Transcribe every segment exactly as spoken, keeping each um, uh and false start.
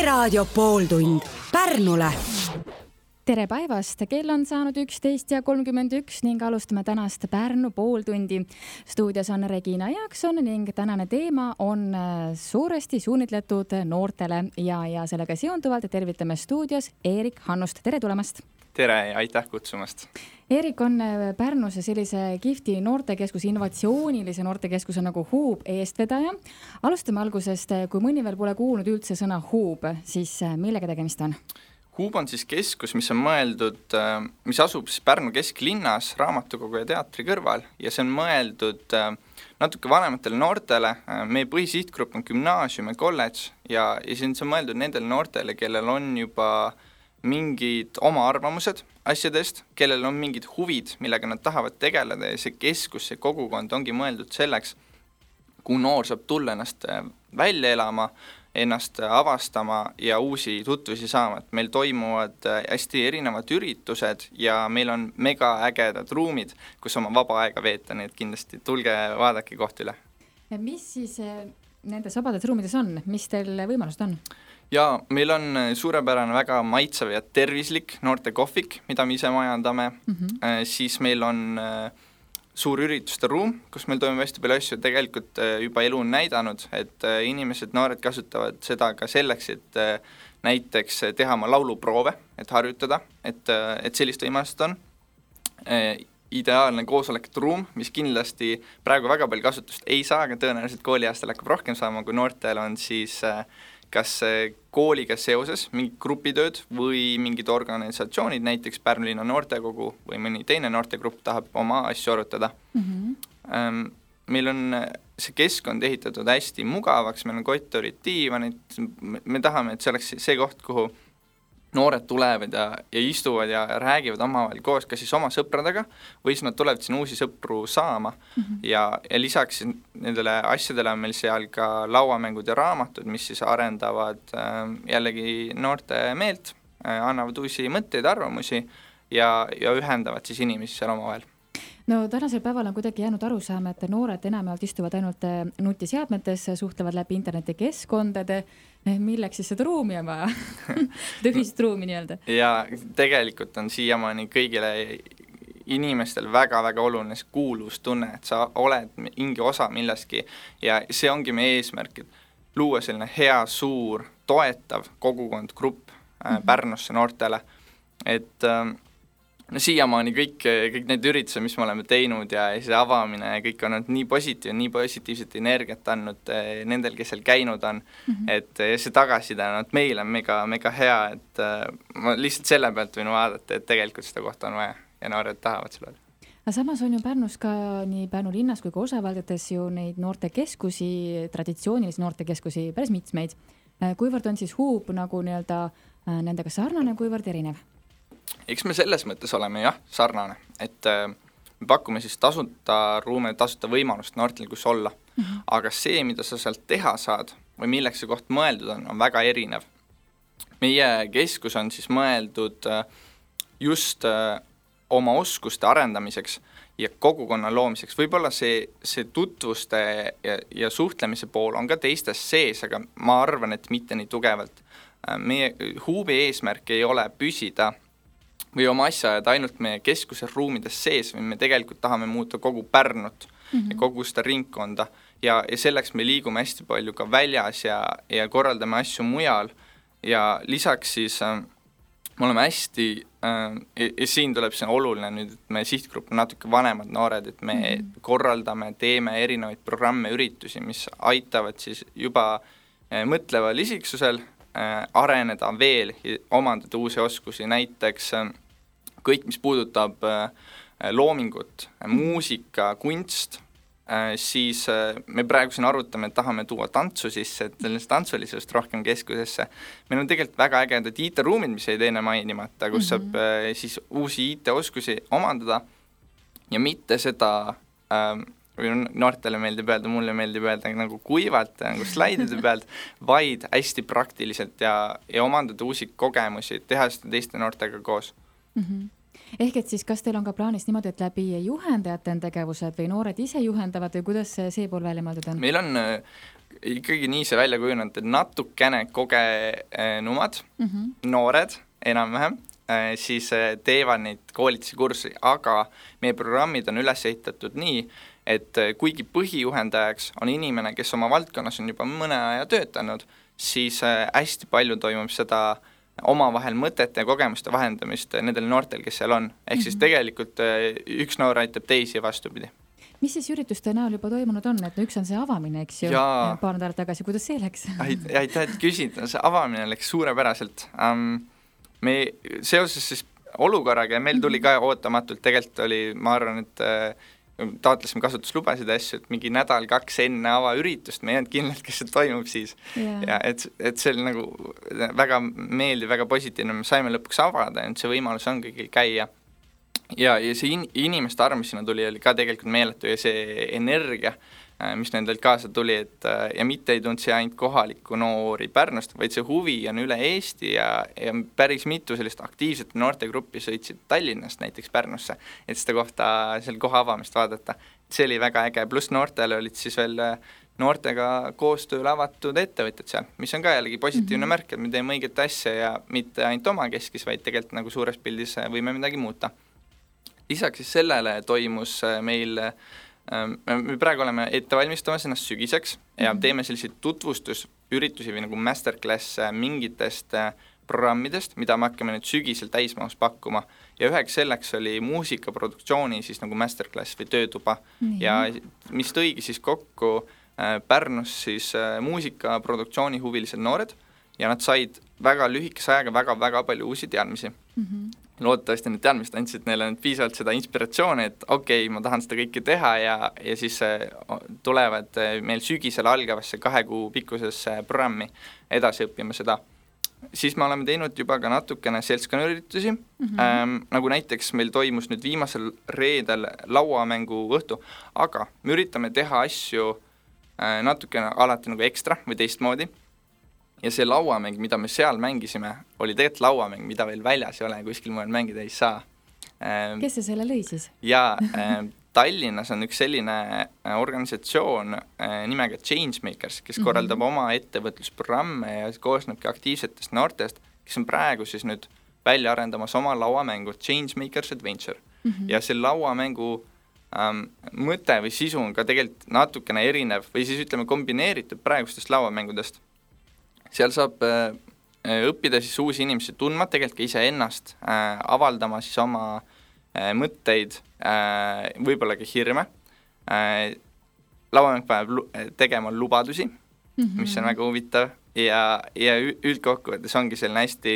Raadio pooltund Pärnule. Tere päevast, kell on saanud üksteist ja kolmkümmend üks ning alustame tänast Pärnu pooltundi. Stuudios on Regina Jaakson ning tänane teema on suuresti suunitletud noortele ja, ja sellega seonduvalt tervitame stuudios Eerik Hannust. Tere tulemast! Tere ja aitäh kutsumast! Eerik on Pärnus sellise kihvti noortekeskuse, innovatsioonilise noortekeskuse nagu Hub eestvedaja. Alustame algusest, kui mõni veel pole kuulnud üldse sõna Hub, siis millega tegemist on? Hub on siis keskus, mis on mõeldud, mis asub siis Pärnu kesklinnas raamatukogu ja teatri kõrval ja see on mõeldud natuke vanematele noortele. Meie põhisihtgrupp on gümnaasium ja kolledž ja, ja see on mõeldud nendele noortele, kellel on juba mingid oma arvamused asjadest, kellel on mingid huvid, millega nad tahavad tegeleda ja see keskus, see kogukond ongi mõeldud selleks, kui noor saab tulla ennast välja elama, ennast avastama ja uusi tutvusi saama. Et meil toimuvad hästi erinevad üritused ja meil on mega ägedad ruumid, kus oma vaba aega veeta, nii et kindlasti tulge vaadake koht üle. Mis siis nendes vabades ruumides on? Mis teil võimalused on? Ja meil on suurepärane väga maitsev ja tervislik noorte kohvik, mida me ise majandame. Mm-hmm. Siis meil on suur ürituste ruum, kus meil toimub hästi palju asju. Tegelikult juba elu on näidanud, et inimesed, noored kasutavad seda ka selleks, et näiteks teha oma lauluproove, et harjutada, et, et sellist võimalust on. Ideaalne koosolekute ruum, mis kindlasti praegu väga palju kasutust ei saa, aga tõenäoliselt kooliaastal hakkab rohkem saama, kui noortel on siis kas kooliga seoses mingid grupitööd või mingid organisatsioonid, näiteks Pärnu linna noortekogu või mõni teine noortegrupp tahab oma asju arutada. Mm-hmm. Meil on see keskkond ehitatud hästi mugavaks, meil on kotorid, diivanid, me tahame, et see oleks see koht, kuhu noored tulevad ja, ja istuvad ja räägivad omavahel koos, kas siis oma sõpradega või siis nad tulevad siin uusi sõpru saama. Mm-hmm. ja, ja lisaks nendele asjadele on meil seal ka lauamängud ja raamatud, mis siis arendavad äh, jällegi noorte meelt, äh, annavad uusi mõtteid, arvamusi ja, ja ühendavad siis inimesi seal omavahel. No tänasel päeval on kuidagi jäänud aru saama, et noored enamalt istuvad ainult nutiseadmetes, suhtlevad läbi internetikeskkondade, milleks siis seda ruumi on vaja? Tõhvist ruumi nii-öelda. Ja tegelikult on siiamaani kõigile inimestel väga-väga oluline kuuluvustunne, et sa oled mingi osa millestki ja see ongi meie eesmärk, et luua selline hea, suur, toetav kogukond, grupp mm-hmm. Pärnusse noortele, et no siiamaani kõik, kõik need üritused, mis me oleme teinud ja see avamine, kõik on olnud nii positiivne, nii positiivset energiat andnud nendel, kes seal käinud on, mm-hmm. et see tagasiside on, et meil on mega, mega hea, et ma lihtsalt selle pealt võin vaadata, et tegelikult seda kohta on vaja ja noored tahavad selle. Aga samas on ju Pärnus ka nii Pärnu linnas kui ka osavaldades ju neid noortekeskusi, traditsioonilisi noortekeskusi päris mitmeid. Kuivõrd on siis Hub nagu nii-öelda nendega sarnane, kuivõrd erinev? Eks me selles mõttes oleme jah, sarnane, et äh, me pakume siis tasuta ruume, tasuta võimalust noortel kus olla, mm-hmm. aga see, mida sa sealt teha saad või milleks see koht mõeldud on, on väga erinev. Meie keskus on siis mõeldud äh, just äh, oma oskuste arendamiseks ja kogukonna loomiseks. Võib-olla see, see tutvuste ja, ja suhtlemise pool on ka teistes sees, aga ma arvan, et mitte nii tugevalt. Äh, meie Hubi eesmärk ei ole püsida või oma asja ajad ainult meie keskuse ruumides sees, või me tegelikult tahame muuta kogu Pärnut mm-hmm. ja kogu seda ringkonda ja, ja selleks me liigume hästi palju ka väljas ja, ja korraldame asju mujal ja lisaks siis äh, me oleme hästi äh, ja, ja siin tuleb see oluline nüüd, et meie sihtgrupp on natuke vanemad noored, et me mm-hmm. korraldame, teeme erinevaid programme, üritusi, mis aitavad siis juba äh, mõtleval isiksusel äh, areneda veel ja omandada uusi oskusi, näiteks äh, kõik, mis puudutab äh, loomingut, äh, muusika, kunst, äh, siis äh, me praegu siin arutame, et tahame tuua tantsu sisse, et sellest tantsulisust rohkem keskusesse. Meil on tegelikult väga ägedad I T-ruumid, mis ei teine mainimata, kus mm-hmm. saab äh, siis uusi I T-oskusi omandada ja mitte seda, äh, või noortele meeldib öelda, mulle meeldib öelda nagu kuivalt, nagu slaidide pealt, vaid hästi praktiliselt ja, ja omandada uusi kogemusi, teha seda teiste noortega koos. Mm-hmm. Ehk et siis kas teil on ka plaanis niimoodi, et läbi juhendajate on tegevused või noored ise juhendavad või kuidas see pool välja mõeldud on? Meil on ikkagi nii see välja kujunenud, et natukene kogenumad, Mhm. noored enam-vähem, siis teevad neid koolitusi kursi, aga meie programmid on üles ehitatud nii, et kuigi põhijuhendajaks on inimene, kes oma valdkonnas on juba mõne aja töötanud, siis hästi palju toimub seda omavahel mõtete ja kogemuste vahendamist nendel noortel, kes seal on. Ehk siis tegelikult üks noor aitab teisi vastupidi. Mis siis ürituste näol juba toimunud on, et üks on see avamine, eks ju, Jaa. paar nädalat tagasi, kuidas see läks? Aitäh, et küsid, see avamine läks suurepäraselt. Um, me seoses siis olukorraga ja meil tuli ka ootamatult, tegelikult oli, ma arvan, et äh, taotlesime kasutuslubasid asju, et mingi nädal, kaks enne avaüritust, me ei olnud kindlalt, kes see toimub siis. Yeah. Ja et, et see oli nagu väga meeldiv, väga positiivne, me saime lõpuks avada, et see võimalus on kõigil käia. Ja, ja see in, inimeste arv, mis sinna tuli, oli ka tegelikult meeletu ja see energia, mis nendelt kaasa tuli, et ja mitte ei tundnud see ainult kohaliku noori Pärnust, vaid see huvi on üle Eesti ja, ja päris mitu sellist aktiivset noortegruppi sõitsid Tallinnast näiteks Pärnusse, et seda kohta, selle koha avamist vaadata. See oli väga äge, pluss noortele olid siis veel noortega koostööl avatud ettevõtjad seal, mis on ka jällegi positiivne mm-hmm. märk, et me teeme õiget asja ja mitte ainult oma keskis, vaid tegelikult nagu suures pildis võime midagi muuta. Lisaks siis sellele toimus meil me praegu oleme ette valmistamas ennast sügiseks ja mm-hmm. teeme selliseid tutvustusüritusi või nagu masterclass mingitest programmidest, mida me hakkame nüüd sügisel täismahus pakkuma ja üheks selleks oli muusikaproduktsiooni siis nagu masterclass või töötuba mm-hmm. ja mis tõigi siis kokku Pärnus siis muusikaproduktsiooni huvilised noored ja nad said väga lühikese ajaga väga-väga palju uusi teadmisi. Mm-hmm. Loodetavasti need teadmised andsid neile piisavalt seda inspiratsiooni, et okei, okay, ma tahan seda kõike teha ja, ja siis tulevad meil sügisel algavasse kahe kuu pikkusesse programmi edasi õppima seda. Siis me oleme teinud juba ka natukene seltskonnaüritusi, mm-hmm. ähm, nagu näiteks meil toimus nüüd viimasel reedel lauamängu õhtu, aga me üritame teha asju äh, natukene alati nagu ekstra või teistmoodi. Ja see lauamäng, mida me seal mängisime, oli tegelikult lauamäng, mida veel väljas ei ole, kuskil mujal mängida ei saa. Kes see selle lõi siis? Ja Tallinnas on üks selline organisatsioon nimega Changemakers, kes korraldab mm-hmm. oma ettevõtlusprogramme ja koosnebki aktiivsetest noortest, kes on praegu siis nüüd välja arendamas oma lauamängu Changemakers Adventure. Mm-hmm. Ja see lauamängu ähm, mõte või sisu on ka tegelikult natukene erinev või siis ütleme kombineeritud praegustest lauamängudest. Seal saab äh, õppida siis uusi inimesi tundma, tegelikult ka ise ennast, äh, avaldama siis oma äh, mõtteid, äh, võib-olla ka hirme. Äh, lauamäng paneb lu- tegema lubadusi, mm-hmm. mis on väga huvitav ja, ja üldkokkuvõttes ongi selline hästi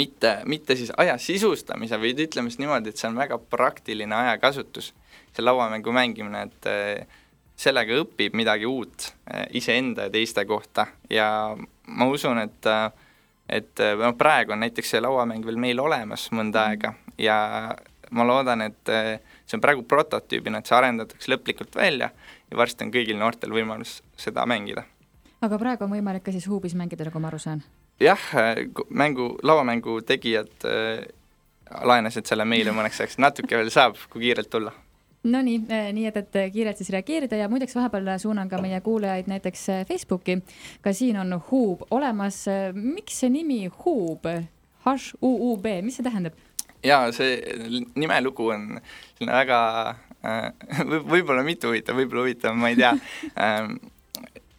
mitte, mitte siis aja sisustamise, või ütleme siis niimoodi, et see on väga praktiline ajakasutus, see lauamängu mängimine, et äh, sellega õpib midagi uut iseenda ja teiste kohta ja ma usun, et, et no praegu on näiteks see lauamäng veel meil olemas mõnda aega ja ma loodan, et see on praegu prototüübina, et see arendatakse lõplikult välja ja varsti on kõigil noortel võimalus seda mängida. Aga praegu on võimalik ka siis huubis mängida, nagu ma aru saan? Jah, mängu, lauamängu tegijad äh, laenasid selle meile mõneks ajaks, natuke veel saab, kui kiirelt tulla. No nii, nii et, et kiirelt siis reageerida ja muideks vahepeal suunan ka meie kuulajaid näiteks Facebooki. Ka siin on huub olemas. Miks see nimi huub? H U U B, mis see tähendab? Jaa, see nimelugu on väga, võib-olla mitu huvitav, võib-olla huvitav, ma ei tea.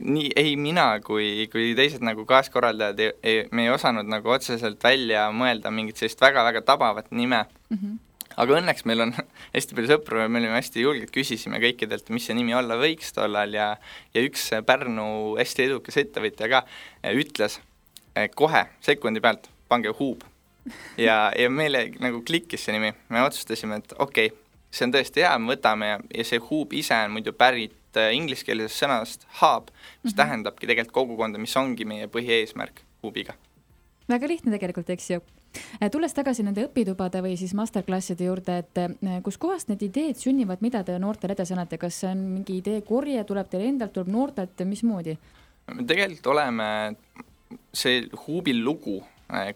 Nii ei mina kui, kui teised nagu kaaskorraldajad, ei, ei, me ei osanud nagu otseselt välja mõelda mingit sellist väga-väga tabavat nime. Mm-hmm. Aga õnneks meil on hästi palju sõpru ja me olime hästi julged, küsisime kõikidelt, mis see nimi olla võiks tollal ja, ja üks Pärnu hästi edukas ettevõtja ka ütles kohe sekundi pealt, pange huub. Ja, ja meile nagu klikkis see nimi, me otsustasime, et okei, okay, see on tõesti hea, me võtame ja, ja see huub ise on muidu pärit ingliskeelsest sõnast hub, mis mm-hmm. tähendabki tegelikult kogukonda, mis ongi meie põhieesmärk huubiga. Väga lihtne tegelikult, eks ju. Tulles tagasi nende õpitubade või siis masterklasside juurde, et kus kohast need ideed sünnivad, mida te noortele edasi annate? Kas see on mingi idee korje, tuleb teil endalt, tuleb noortelt, mismoodi? Me tegelikult oleme see huubil lugu,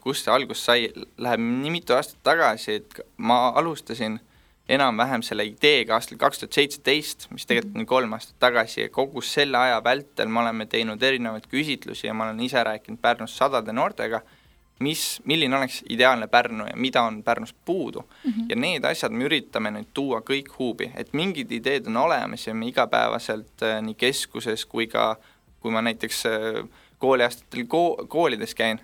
kus see algus sai, läheb nii mitu aastat tagasi, et ma alustasin enam-vähem selle ideega aastal kaks tuhat seitseteist, mis tegelikult on kolm aastat tagasi, ja kogu selle aja vältel me oleme teinud erinevaid küsitlusi ja ma olen ise rääkinud Pärnus sadade noortega, mis, milline oleks ideaalne Pärnu ja mida on Pärnus puudu. Mm-hmm. Ja need asjad me üritame nüüd tuua kõik huubi, et mingid ideed on olemas ja me igapäevaselt nii keskuses kui ka, kui ma näiteks kooliaastatel ko- koolides käin,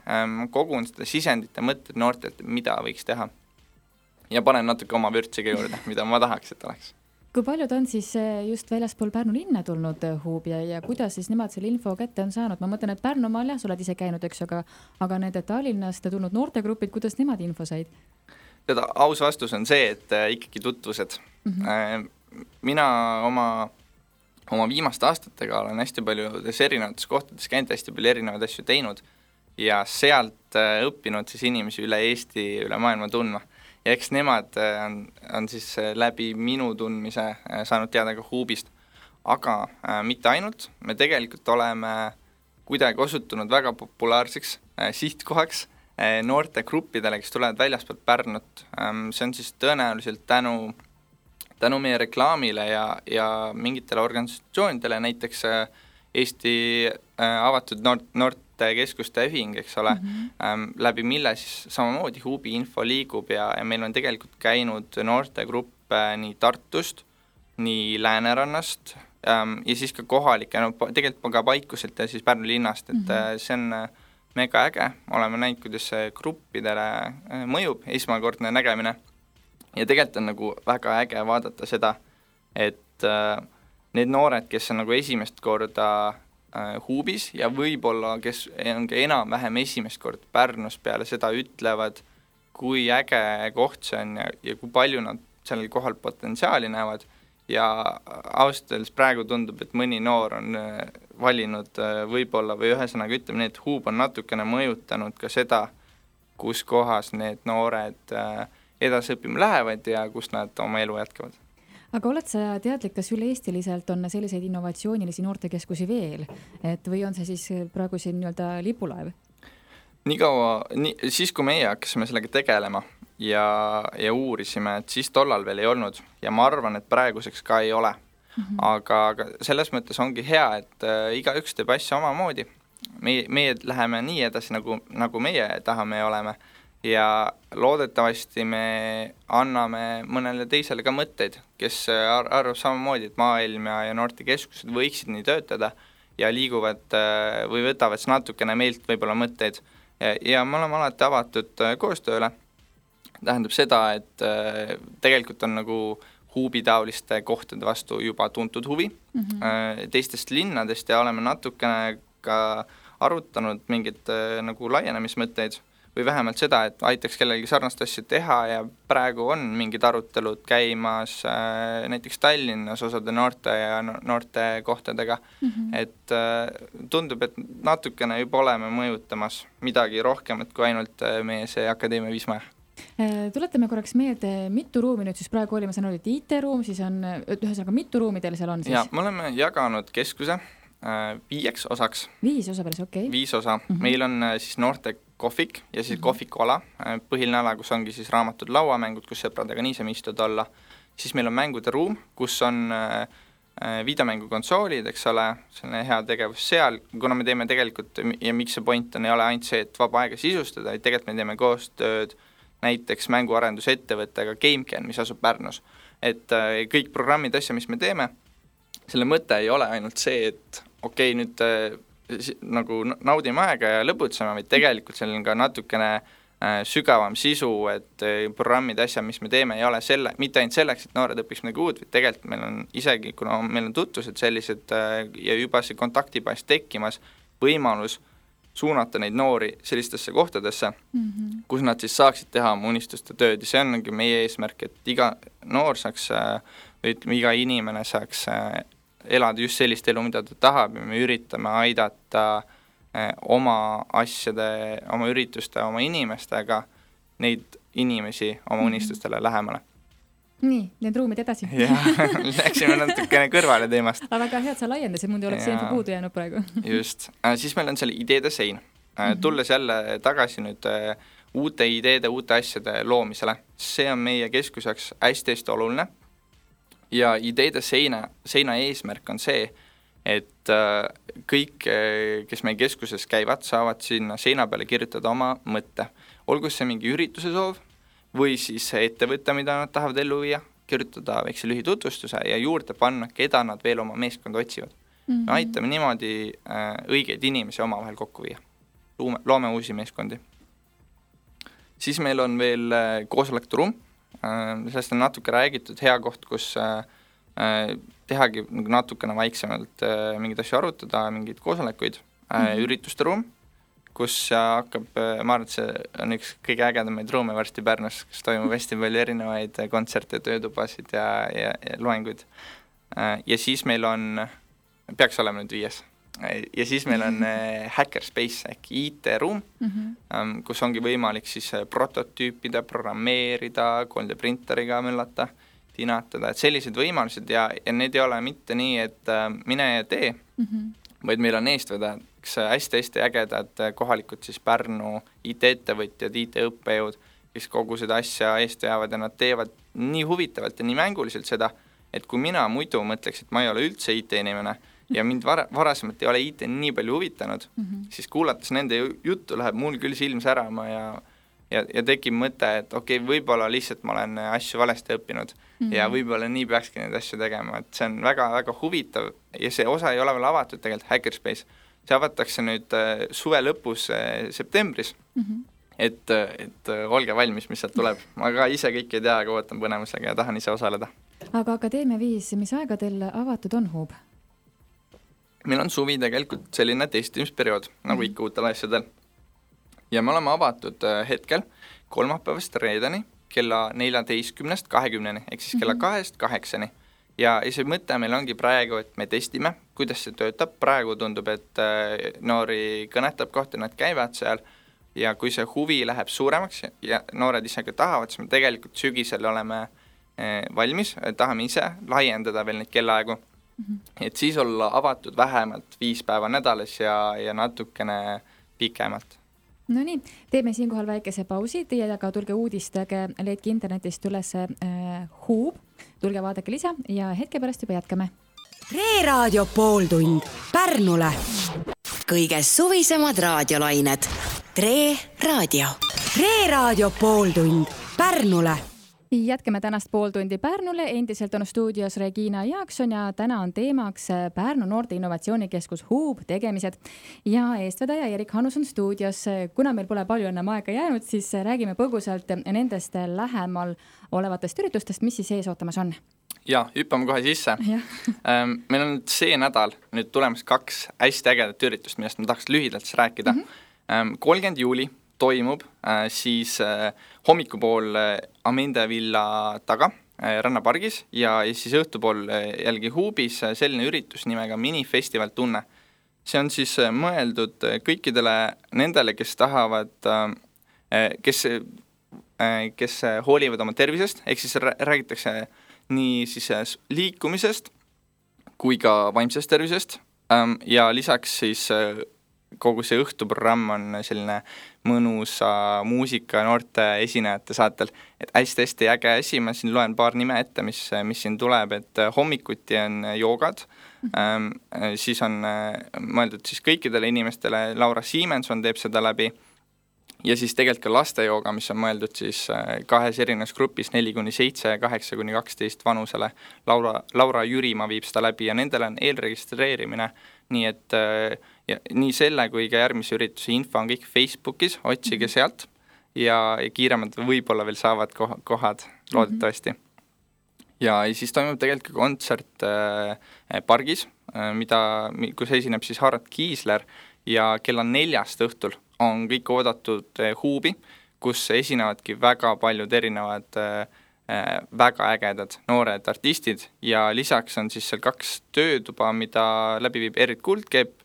kogun seda sisendit ja mõtted noortelt, mida võiks teha. Ja panen natuke oma vürtsiga juurde, mida ma tahaks, et oleks. Kui paljud on siis just väljaspool Pärnu linna tulnud huubi ja, ja kuidas siis nemad selle info kätte on saanud? Ma mõtlen, et Pärnumaal jah, sa oled ise käinud, eks, aga, aga need Tallinnast tulnud noortegrupid, kuidas nemad info said? Teda, aus vastus on see, et äh, ikkagi tutvused. Mm-hmm. Mina oma, oma viimaste aastatega olen hästi paljudes erinevates kohtades käinud, hästi palju erinevaid asju teinud ja sealt äh, õppinud siis inimesi üle Eesti, üle maailma tundma. Ja eks nemad on, on siis läbi minu tundmise saanud teada ka huubist. Aga äh, mitte ainult, me tegelikult oleme kuidagi osutunud väga populaarseks äh, sihtkohaks äh, noorte gruppidele, kes tulevad väljaspoolt Pärnut. Ähm, see on siis tõenäoliselt tänu, tänu meie reklaamile ja, ja mingitele organisatsioonidele, näiteks äh, Eesti äh, avatud noort, noort keskuste ühing, eks ole, mm-hmm. ähm, läbi mille siis samamoodi huubi info liigub ja, ja meil on tegelikult käinud noortegruppe nii Tartust, nii Läänerannast ähm, ja siis ka kohalike, no tegelikult ka Paikuselt ja siis Pärnu linnast, et mm-hmm. see on mega äge, oleme näinud, kuidas see gruppidele mõjub, esmakordne nägemine ja tegelikult on nagu väga äge vaadata seda, et äh, need noored, kes on nagu esimest korda huubis ja võib-olla, kes on ka enam-vähem esimest kord Pärnus peale seda ütlevad, kui äge koht see on ja, ja kui palju nad sellel kohal potentsiaali näevad ja ausalt praegu tundub, et mõni noor on valinud võib-olla või ühesõnaga ütleme nii, et huub on natukene mõjutanud ka seda, kus kohas need noored edasi õppima lähevad ja kus nad oma elu jätkavad. Aga oled sa teadlik, kas üle-eestiliselt on selliseid innovatsioonilisi noortekeskusi veel, et või on see siis praegu siin nii-öelda lipulaev? Nii kaua, nii, siis kui meie hakkasime sellega tegelema ja, ja uurisime, et siis tollal veel ei olnud ja ma arvan, et praeguseks ka ei ole. Mm-hmm. Aga, aga selles mõttes ongi hea, et äh, igaüks teeb asja omamoodi. Meie, meie läheme nii edasi, nagu, nagu meie tahame ja oleme. Ja loodetavasti me anname mõnele teisele ka mõtteid, kes ar- arvab samamoodi, et maailm ja, ja noortekeskused võiksid nii töötada ja liiguvad või võtavad natukene meilt võib-olla mõtteid. Ja, ja me oleme alati avatud koostööle. Tähendab seda, et tegelikult on nagu huubitaoliste kohtade vastu juba tuntud huvi mm-hmm. teistest linnadest ja oleme natukene ka arutanud mingid nagu laienemismõtteid või vähemalt seda, et aitaks kellelgi sarnast asja teha ja praegu on mingid arutelud käimas äh, näiteks Tallinnas osade noorte ja noorte kohtadega, mm-hmm. et äh, tundub, et natukene juba oleme mõjutamas midagi rohkemat kui ainult äh, meie see Akadeemia Viismaja. Tuletame korraks meelde, mitu ruumi nüüd siis praegu oli, ma saan öelda, et I T-ruum, siis on ühesõnaga mitu ruumi teil seal on siis? Ja, me oleme jaganud keskuse äh, viieks osaks. Viis osa päris, okei. Okay. Viis osa. Mm-hmm. Meil on äh, siis noorte kohvik ja siis mm-hmm. kohvikuala, põhiline ala, kus ongi siis raamatud, lauamängud, kus sõpradega niisama istud olla. Siis meil on mängude ruum, kus on äh, videomängukonsoolid, eks ole, selline hea tegevus seal, kuna me teeme tegelikult, ja miks see point on, ei ole ainult see, et vaba aega sisustada, et tegelikult me teeme koostööd näiteks mänguarendusettevõttega GameCan, mis asub Pärnus. Et äh, kõik programmid, asja, mis me teeme, selle mõte ei ole ainult see, et okei, okay, nüüd äh, nagu naudime aega ja lõbutseme, vaid tegelikult seal on ka natukene äh, sügavam sisu, et äh, programmid, asja, mis me teeme, ei ole selle, mitte ainult selleks, et noored õpiks midagi uut, vaid tegelikult meil on isegi, kuna meil on tutvused sellised äh, ja juba see kontaktibaas tekkimas, võimalus suunata neid noori sellistesse kohtadesse, mm-hmm. kus nad siis saaksid teha oma unistuste tööd ja see ongi meie eesmärk, et iga noor saaks, või ütleme, iga inimene saaks elada just sellist elu, mida ta tahab ja me üritame aidata oma asjade, oma ürituste, oma inimestega neid inimesi oma unistustele lähemale. Nii, need ruumid edasi. Jah, läksime natukene kõrvale teemast. Aga väga hea, et sa laiendasid, muidu oleks see info puudu jäänud praegu. Just. Siis meil on seal ideede sein. Tulles jälle tagasi nüüd uute ideede, uute asjade loomisele. See on meie keskuseks hästi-hästi oluline ja ideede seina, seina eesmärk on see, et kõik, kes meie keskuses käivad, saavad sinna seina peale kirjutada oma mõtte. Olgu see mingi ürituse soov või siis ettevõtte, mida nad tahavad ellu viia, kirjutada väikse lühitutvustuse ja juurde panna, keda nad veel oma meeskonda otsivad. Mm-hmm. Me aitame niimoodi õigeid inimesi omavahel kokku viia. Loome, loome uusi meeskondi. Siis meil on veel koosolekuruum. Sellest on natuke räägitud, hea koht, kus tehagi natukene vaiksemalt mingid asju arutada, mingid koosolekuid, mm-hmm. ürituste ruum, kus hakkab, ma arvan, et see on üks kõige ägedamaid ruume varsti Pärnus, kus toimub hästi palju erinevaid kontserte, töötubasid ja, ja, ja loenguid. Ja siis meil on, peaks olema nüüd viies, ja siis meil on Hackerspace ehk I T-ruum, mm-hmm. kus ongi võimalik siis prototüüpida, programmeerida, kolm D printeriga möllata, tinatada, et sellised võimalused ja, ja need ei ole mitte nii, et mine ja tee, mm-hmm. vaid meil on eestvedajaks hästi-hästi ägedad kohalikud siis Pärnu I T-ettevõtjad, I T-õppejõud, kes kogu seda asja eest veavad ja nad teevad nii huvitavalt ja nii mänguliselt seda, et kui mina muidu mõtleks, et ma ei ole üldse I T-inimene ja mind var- varasemalt ei ole I T nii palju huvitanud, mm-hmm. siis kuulates nende juttu läheb mul küll silm särama ja Ja, ja tekib mõte, et okei, okay, võib-olla lihtsalt ma olen asju valesti õppinud mm-hmm. ja võib-olla nii peakski neid asju tegema, et see on väga-väga huvitav ja see osa ei ole veel avatud tegelikult Hackerspace. See avatakse nüüd äh, suve lõpus äh, septembris, mm-hmm. et, et äh, olge valmis, mis sealt tuleb. Ma ka ise kõik ei tea, aga ootan põnemusega ja tahan ise osaleda. Aga Akadeemia viis, mis aega teil avatud on Hub? Meil on suvi tegelikult selline testimisperiood, nagu mm-hmm. ikka uutel asjadel. Ja me oleme avatud hetkel kolmapäevast reedeni kella neljateistkümnest kahekümneni, ehk siis kella kahest kaheksani. Ja see mõte meil ongi praegu, et me testime, kuidas see töötab. Praegu tundub, et noori kõnetab kohta, nad käivad seal ja kui see huvi läheb suuremaks ja noored ise ka tahavad, siis me tegelikult sügisel oleme valmis, tahame ise laiendada veel neid kellaaegu, mm-hmm. et siis olla avatud vähemalt viis päeva nädalas ja, ja natukene pikemalt. No nii, teeme siinkohal väikese pausi, teie aga tulge uudistage, leidke internetist üles äh, Hub, tulge vaadake lisa ja hetke pärast juba jätkame. Reeraadio pooltund Pärnule. Kõige suvisemad raadiolained. Tre Raadio. Reeraadio pooltund Pärnule. Jätkame tänast pooltundi Pärnule, endiselt on stuudios Regina Jaakson ja täna on teemaks Pärnu noorte innovatsioonikeskus Hub tegemised ja eestvedaja Erik Hannus on stuudios. Kuna meil pole palju enam aega jäänud, siis räägime põgusalt nendest lähemal olevatest üritustest, mis siis ees ootamas on. Ja, hüppame kohe sisse. Meil on see nädal nüüd tulemas kaks hästi ägedat üritust, millest ma tahaks lühidalt rääkida. Mm-hmm. kolmkümmend juuli toimub äh, siis äh, hommikupool äh, Amende villa taga äh, Rannapargis ja, ja siis õhtupool äh, jälgi Hubis äh, selline üritus nimega Minifestival tunne. See on siis äh, mõeldud äh, kõikidele nendele, kes tahavad, äh, kes, äh, kes äh, hoolivad oma tervisest, ehk siis räägitakse nii siis äh, liikumisest kui ka vaimsest tervisest ähm, ja lisaks siis äh, kogu see õhtuprogramm on selline mõnusa muusika noorte esinejate saatel, et hästi-hästi äge asi, ma siin loen paar nime ette, mis, mis siin tuleb, et hommikuti on joogad, ähm, siis on mõeldud siis kõikidele inimestele, Laura Siimenson teeb seda läbi ja siis tegelikult ka lastejooga, mis on mõeldud siis kahes erinevas grupis neli kuni seitse, kaheksa kuni kaksteist vanusele. Laura, Laura Jürimaa viib seda läbi ja nendele on eelregistreerimine, nii et ja nii selle kui ka järgmise ürituse info on kõik Facebookis, otsige sealt ja, ja kiiremad võib-olla veel saavad kohad loodetavasti. Ja siis toimub tegelikult ka kontsert äh, pargis, äh, mida, kus esineb siis Harald Kiisler ja kella neljast õhtul on kõik oodatud äh, Hubi, kus esinevadki väga paljud erinevad äh, väga ägedad noored artistid ja lisaks on siis seal kaks töötuba, mida läbi viib Erit Kuldkepp.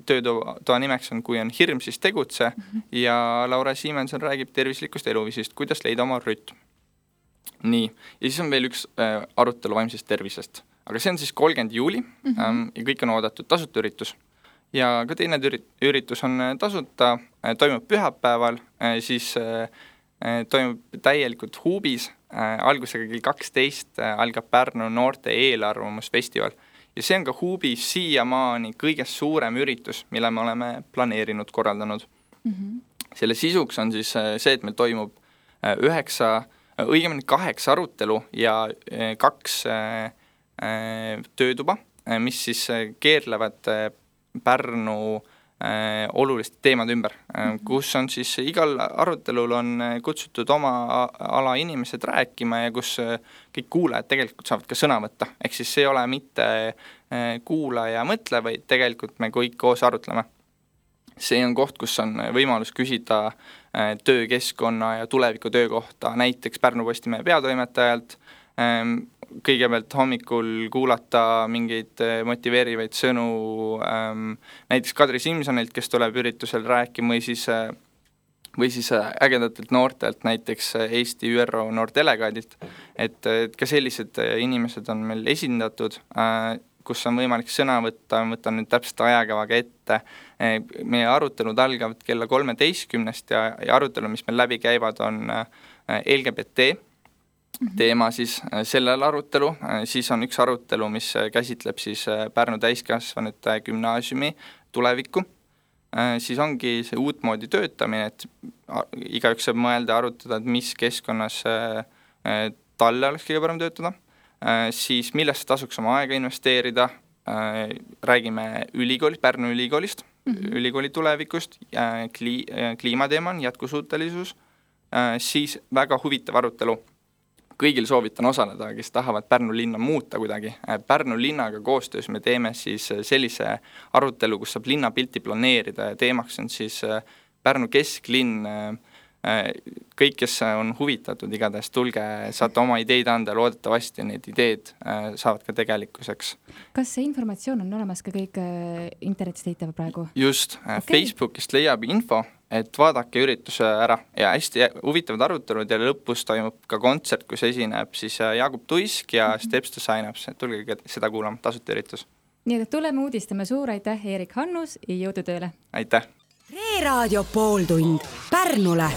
Töötoa nimeks on Kui on hirm, siis tegutse mm-hmm. ja Laura Siimenson räägib tervislikust eluviisist, kuidas leida oma rütm. Nii, ja siis on veel üks äh, arutelu vaimsest tervisest, aga see on siis kolmkümmend juuli mm-hmm. ähm, ja kõik on oodatud tasuta üritus ja ka teine üritus on tasuta, toimub pühapäeval, siis toimub täielikult Huubis, algusega kell kaksteist algab Pärnu noorte eelarvamusfestival. Ja see on ka Huubis siiamaani kõigest suurem üritus, mille me oleme planeerinud, korraldanud. Mm-hmm. Selle sisuks on siis see, et meil toimub üheksa, õigemini kaheksa arutelu ja kaks töötuba, mis siis keerlevad Pärnu oluliste teemade ümber, kus on siis igal arutelul on kutsutud oma ala inimesed rääkima ja kus kõik kuulajad tegelikult saavad ka sõna võtta. Ehk siis see ei ole mitte kuula ja mõtle, vaid tegelikult me kõik koos arutleme. See on koht, kus on võimalus küsida töökeskkonna ja tuleviku töökohta, näiteks Pärnu Postimehe peatoimetajalt, kõigepealt hommikul kuulata mingeid motiveerivaid sõnu näiteks Kadri Simsonilt, kes tuleb üritusel rääkima, või siis, või siis ägedatelt noortelt, näiteks Eesti Ü R O noortdelegaadilt, et, et ka sellised inimesed on meil esindatud, kus on võimalik sõna võtta, võtan nüüd täpselt ajakavaga ette. Meie arutelud algavad kella kolmeteistkümnest ja, ja arutelu, mis meil läbi käivad, on L G B T teema siis sellel arutelu. Siis on üks arutelu, mis käsitleb siis Pärnu täiskasvanute gümnaasiumi tulevikku. Siis ongi see uutmoodi töötamine, et igaüks saab mõelda ja arutada, et mis keskkonnas talle oleks kõige parem töötada. Siis millest tasuks oma aega investeerida, räägime ülikoolist, Pärnu ülikoolist, mm-hmm. ülikooli tulevikust, kli, kliimateema on jätkusuutelisus, siis väga huvitav arutelu. Kõigil soovitan osaleda, kes tahavad Pärnu linna muuta kuidagi. Pärnu linnaga koostöös me teeme siis sellise arutelu, kus saab linnapilti planeerida ja teemaks on siis Pärnu kesklinn. Kõik, kes on huvitatud, igatahes tulge, saate oma ideid anda, loodetavasti need ideed saavad ka tegelikkuseks. Kas see informatsioon on olemas ka kõik internetis leitav praegu? Just, okay. Facebookist leiab info, et vaadake ürituse ära ja hästi huvitavad arutelud ja lõpus toimub ka kontsert, kus esineb siis Jaagup Tuisk ja mm-hmm. Steps to Signups, tulge seda kuulama, tasuta üritus. Nii et tuleme uudistame, suur aitäh, Erik Hannus ja jõudu tööle! Aitäh! Reeraadio pooltund Pärnule.